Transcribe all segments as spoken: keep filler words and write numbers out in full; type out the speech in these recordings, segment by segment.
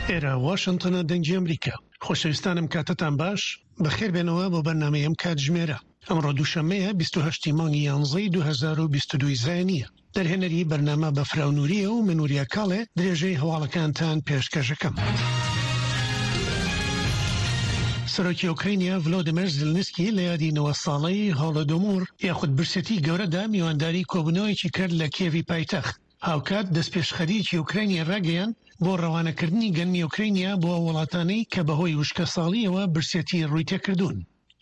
ئێرە واشنتنە، دەنگی ئەمریکا. خۆشەویستانم، کاتتان باش، بەخێربێنەوە بۆ بەرنامەی ئەم کاتژمێرە. ئەمڕۆ دووشەممەیە، بیست و هەشت مانگی یانزەی دوو هەزار و بیست و دوو زایینیە. دەرهێنەری بەرنامە بەفراو نووریە و من وریا کاڵێ درێژەی هەواڵەکانتان پێشکەشەکەم. سەرۆکی ئۆکرانیا ڤلۆدیمێر زیلنسکی لە یادی نەوە ساڵەی هۆڵۆدۆمۆر یاخود برسێتی گەورەدا میوانداری کۆبوونەوەیەکی کرد لە کیێڤی پایتەخت. هاوکات دەستپێشخەریەکی ئۆکرانیا ڕاگەیاند بۆ ڕەوانەکردنی گەنمی ئۆکرانیا بۆ وڵاتانەی کە بەهۆی وشکە ساڵیەوە برسێتی ڕووی تێکردوون.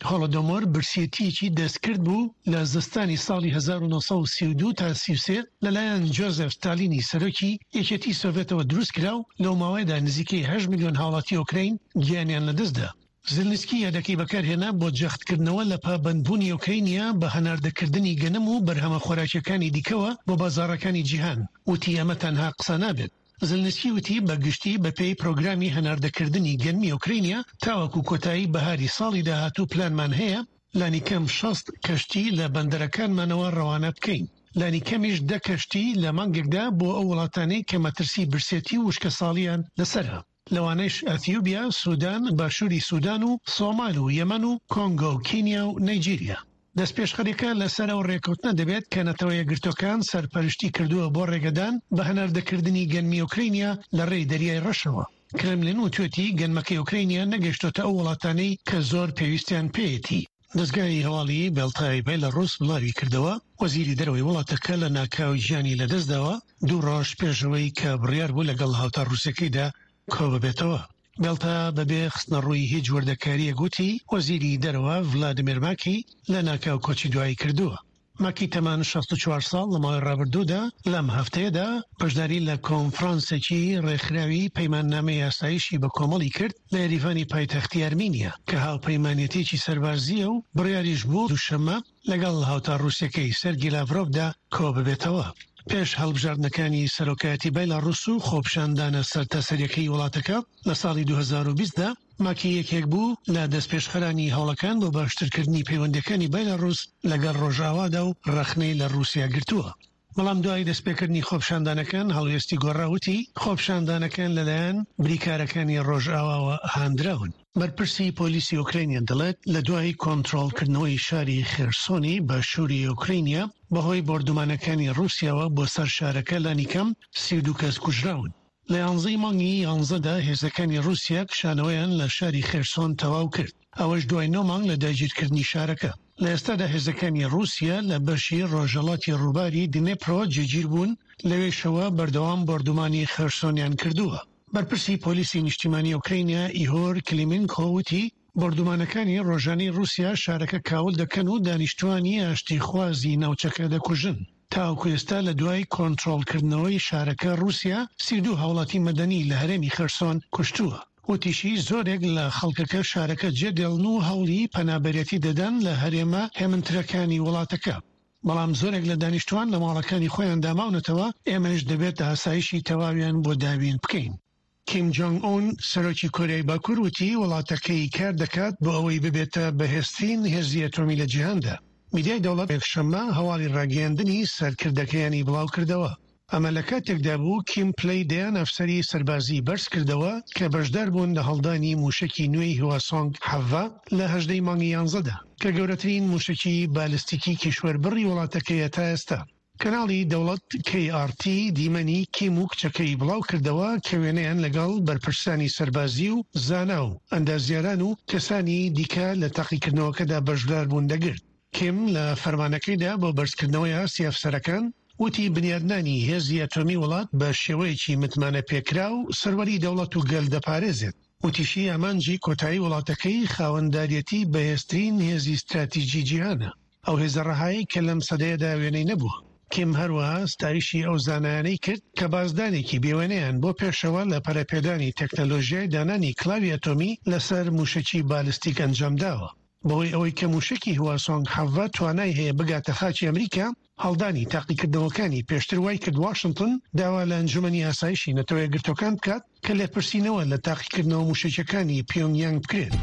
هۆڵۆدۆمۆر برسێتیەکی دەستکرد بوو لە زستانی ساڵی هەزار و نۆ سەد و سی و دوو تا سی و سێ لەلایەن جۆزێف ستالینی سەرۆکی یەکێتی سۆڤێتەوە دروست کرا و لەو ماوەیەدا نزیکەی هەشت ملیۆن هاوڵاتی ئۆکراین گیانیان لەدەستدا. زیلنسکی یادەکەی بەکارهێنا بۆ جەختکردنەوە لە پابەندبوونی ئۆکرانیا بە هەناردەکردنی گەنم و بەرهەمە خۆراکیەکانی دیکەوە بۆ بازاڕەکانی جیهان. وتی ئەمە تەنها قسە نابێت. زلنسکی وتی بەگشتی بەپێی پرۆگرامی هەناردەکردنی گەنمی ئۆکرانیا تاوەکو کۆتایی بەهاری ساڵی داهاتوو پلانمان هەیە لانیکەم شەست کەشتی لە بەندەرەکانمانەوە ڕەوانە بکەین، لانیکەمیش دە کەشتی لە مانگێکدا بۆ ئەو وڵاتانەی کە مەترسی برسێتی و وشکە ساڵیان لەسەرە، لەوانەش ئەثیوبیا، سودان، باشووری سودان و سۆمال و یەمەن و کۆنگۆ و کینیا و نەیجیریا. دەستپێشخەریەکە لەسەر ئەو ڕێکەوتنە دەبێت کە نەتەوە یەکگرتووەکان سەرپەرشتی کردووە بۆ ڕێگەدان بە هەناردەکردنی گەنمی ئۆکرانیا لە ڕێی دەریای ڕەشەوە. کرملین وتوێتی گەنمەکەی ئۆکرانیا نەگەیشتۆتە ئەو وڵاتانەی کە زۆر پێویستیان پێیەتی. دەزگای هەواڵی بێڵتای بێلاڕوس بڵاوی کردەوە وەزیری دەرەوەی وڵاتەکە لە ناکاو گیانی لەدەستداوە دوو ڕۆژ پێشەوەی کە بڕیار بوو لەگەڵ هاوتا ڕووسەکەیدا کۆ ببێتەوە. بێڵتا بەبێ خستنەڕووی هیچ وردەکارییەک وتی وەزیری دەرەوە ڤلادیمیر ماکی لە ناکاو کۆچی دوایی کردووە. ماکی تەمان شەست و چوار ساڵ لە ماوەی ڕابردوودا لەم هەفتەیەدا بەشداری لە کۆنفرانسێکی ڕێکخراوی پەیماننامەی ئاسایشی بە کۆمەڵی کرد لە یەریڤانی پایتەختی ئەرمینیا کە هاوپەیمانێتێکی سەربازیە و بڕیاریش بوو دووشەممە لەگەڵ هاوتا ڕووسەکەی سەرگی لاڤرۆفدا کۆ ببێتەوە. پێش هەڵبژاردنەکانی سەرۆکایەتی بەیلاڕوس و خۆپیشاندانە سەرتاسەریەکەی وڵاتەکە لە ساڵی دوو هەزار و بیست دا ماکی یەکێک بوو لە دەستپێشخەرانی هەوڵەکان بۆ باشترکردنی پەیوەندیەکانی بەیلاڕوس لەگەڵ ڕۆژئاوادا و ڕەخنەی لە ڕووسیا گرتووە. بەڵام دوای دەستپێکردنی خۆپیشاندانەکان هەڵوێستی گۆڕاوتی خۆپیشاندانەکان لەلایەن بریکارەکانی ڕۆژئاواوە هاندراون. بەرپرسی پۆلیسی ئۆکرانیا دەڵێت لە دوای کۆنترۆڵکردنەوەی شاری خێرسۆنی باشووری ئۆکرانیا بەهۆی بۆردومانەکانی ڕووسیاوە بۆ سەر شارەکە لانیکەم سی و دوو کەس کوژراون. لە یانزەی مانگی یانزەدا هێزەکانی ڕووسیا کشانەوەیان لە شاری خێرسۆن تەواو کرد، ئەوەش دوای نۆ مانگ لە داگیرکردنی شارەکە. لە ئێستادا هێزەکانی ڕووسیا لە بەشی ڕۆژهەڵاتی ڕووباری دنێپرۆ جێگیر بوون، لەوێشەوە بەردەوام بۆردومانی خێرسۆنیان کردووە. بەرپرسی پۆلیسی نیشتیمانی ئۆکرانیا ئیهۆر کلیمینکۆ وتی بۆردومانەکانی ڕۆژانەی ڕووسیا شارەکە کاول دەکەن و دانیشتوانی ئاشتیخوازی ناوچەکە دەکوژن. تاوەکو ئێستا لە دوای کۆنترۆڵکردنەوەی شارەکە ڕووسیا سی و دوو هاوڵاتی مەدەنی لە هەرێمی خێرسۆن کوشتووە. وتیشی زۆرێک لە خەڵکەکە شارەکە جێدێڵن و هەوڵی پەنابەرێتی دەدەن لە هەرێمە هێمنترەکانی وڵاتەکە، بەڵام زۆرێک لە دانیشتوان لە ماڵەکانی خۆیاندا ماونەتەوە، ئێمەش دەبێت ئاسایشی تەواویان بۆ داوین بکەین. کیم جۆنگ ئون سەرۆکی کۆریای باکوور وتی وڵاتەکەی کار دەکات بۆ ئەوەی ببێتە بەهێزترین هێزی ئەتۆمی لە جیهاندا. میدیای دەوڵەت یەکشەممە هەواڵی ڕاگەیاندنی سەرکردەکەیانی بڵاو کردەوە. ئەمە لە کاتێکدا بوو کیم پلەی دەیان ئەفسەری سەربازی بەرز کردەوە کە بەشدار بوون لە هەڵدانی موشکی نوێی هواسۆنگ حەڤە لە هەژدەی مانگی یانزەدا کە گەورەترین موشکی بالستیکی کیشوەربڕی وڵاتەکەیە تا ئێستا. کەناڵی دەوڵەت کەی ئاڕ تی دیمەنی کیم و کچەکەی بڵاو کردەوە کە وێنەیان لەگەڵ بەرپرسانی سەربازی و زانا و ئەندازیاران و کەسانی دیکە لە تاقیکردنەوەکەدا بەشدار بوون دەگرت. کیم لە فەرمانەکەیدا بۆ بەرزکردنەوەی ئاستی ئەفسەرەکان وتی بنیادنانی هێزی ئەتۆمی وڵات بە شێوەیەکی متمانە پێکرا و سەروەری دەوڵەت و گەل دەپارێزێت. وتیشی ئامانجی کۆتایی وڵاتەکەی خاوەنداریەتی بەهێزترین هێزی ستراتیژی جیهانە، ئەو هێزە ڕەهایی کە لەم سەدەیەدا وێنەی نەبووە. کیم هەروەها ستایشی ئەو زانایانەی کرد کە بازدانێکی بێوێنەیان بۆ پێشەوە لە پەرەپێدانی تەکنەلۆژیای دانانی کلاوی ئەتۆمی لەسەر موشکی بالستیک ئەنجامداوە. بەهۆی ئەوەی کە موشکی هواسۆنگ حەڤە توانای هەیە بگاتە خاکی ئەمریکا، هەڵدانی تاقیکردنەوەکانی پێشتر وای کرد واشنگتن داوا لە ئەنجومەنی ئاسایشی نەتەوە یەکگرتووەکان بکات کە لێپرسینەوە لە تاقیکردنەوە موشەکیەکانی پیۆنگیانگ بکرێت.